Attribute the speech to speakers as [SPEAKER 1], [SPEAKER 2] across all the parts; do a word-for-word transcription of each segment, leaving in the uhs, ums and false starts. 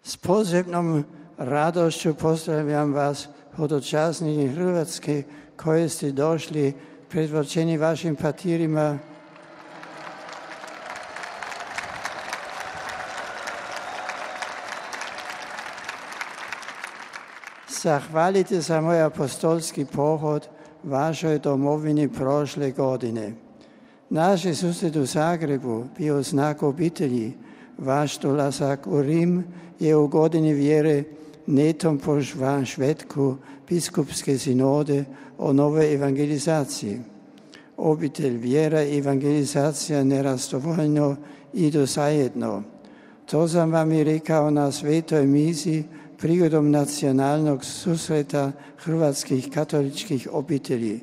[SPEAKER 1] S posebnom radošću pozdravljam vas, hodočasniki Hrvatske, koji ste došli predvođeni vašim pastirima. Zahvalite za moj apostolski pohod vašoj domovini prošle godine. Naš susjed u Zagrebu bio znak obitelji. Vaš dolazak u Rim je u godini vjere netom pozvan Švedku biskupske sinode o novoj evangelizaciji. Obitelj, vjera i evangelizacija nerazdvojno idu zajedno. To sam vam i rekao na svetoj misi prigodom nacionalnog susreta hrvatskih katoličkih obitelji.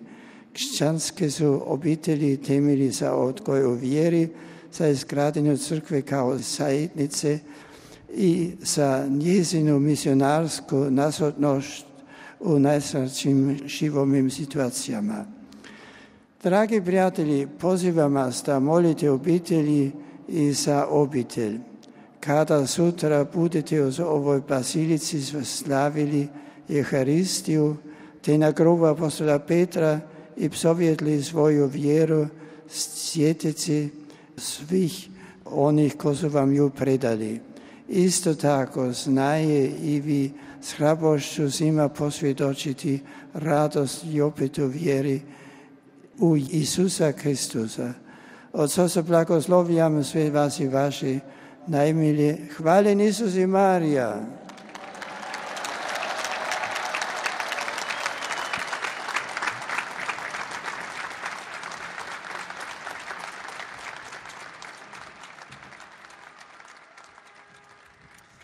[SPEAKER 1] Kršćanske su obitelji temelji za odgoj u vjeri, za izgradnju crkve kao zajednice i za njezinu misionarsku nazočnost u najsrećim životnim situacijama. Dragi prijatelji, pozivam vas da molite obitelji i za obitelj. Kada sutra budete u ovoj bazilici slavili Euharistiju, te na grobu apostola Petra i psovjetli svoju vjeru, sjetite se svih onih koji su vam ju predali. Isto tako znaje i vi s hrabrošću svima posvjedočiti radost i opet u vjeri u Isusa Kristusa. Otco se blagoslovljam sve vas i vaše najmilije. Hvaljen Isus i Marija.